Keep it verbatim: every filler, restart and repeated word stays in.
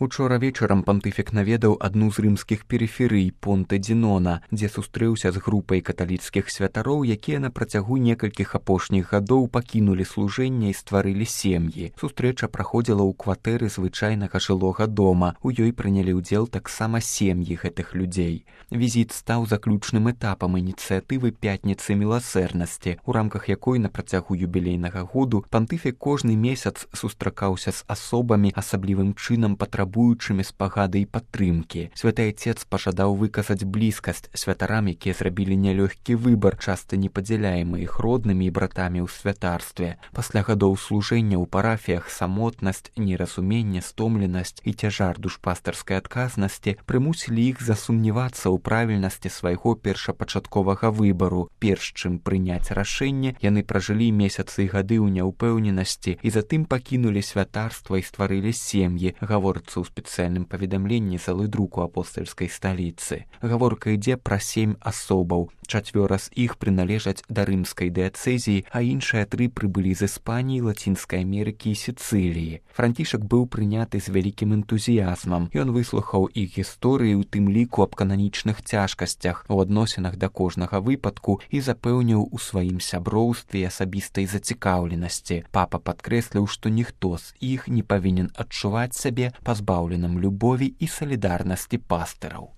Учора вечарам пантыфік наведаў адну з рымскіх перыферый Понтэ-ді-Нона, дзе сустрэўся з групай каталіцкіх святароў, якія на працягу некалькіх апошніх гадоў пакінулі служэнне і стварылі сем'і. Сустрэча праходзіла ў кватэры звычайнага жылога дома. У ёй прынялі ўдзел таксама сем'і гэтых людзей. Візіт стаў заключным этапам ініцыятывы пятніцы міласэрнасці, у рамках якой на працягу юбілейнага году пантыфік кожны месяц сустракаўся з асобамі, асаблівым чынам патрабуючымі спагады і падтрымкі. Святы Айцец пажадаў выказаць блізкасць святарам, якія зрабілі нялёгкі выбар, часта не падзяляемы іх роднымі і братамі ў святарстве. Пасля гадоў служэння ў парафіях самотнасць, неразуменне, стомленасць і цяжар душпастарскай адказнасці прымусілі іх засумнявацца ў правільнасці свайго першапачатковага выбару. Перш чым прыняць рашэнне, яны пражылі месяцы і гады ў няўпэўненасці і затым пакінулі святарства і стварылі сем'і, гаворыцца ў спецыяльным паведамленні з алыдруку апостальскай сталіцы. Гаворка ідзе пра сем асобаў. Чацвёра з іх прыналежаць да рымскай дыяцэзіі, а іншыя тры прыбылі з Іспаніі, Лацінскай Амерыкі і Сіцыліі. Францішак быў прыняты з вялікім энтузіязмам. Ён выслухаў іх гісторыі, у тым ліку аб кананічных цяжкасцях у адносінах да кожнага выпадку і запэўніў у сваім сяброўстве і асабістай зацікаўленасці. Папа падкрэсліў, што ніхто з іх не павінен адчуваць сябе пазбаўленым любові і салідарнасці пастыраў.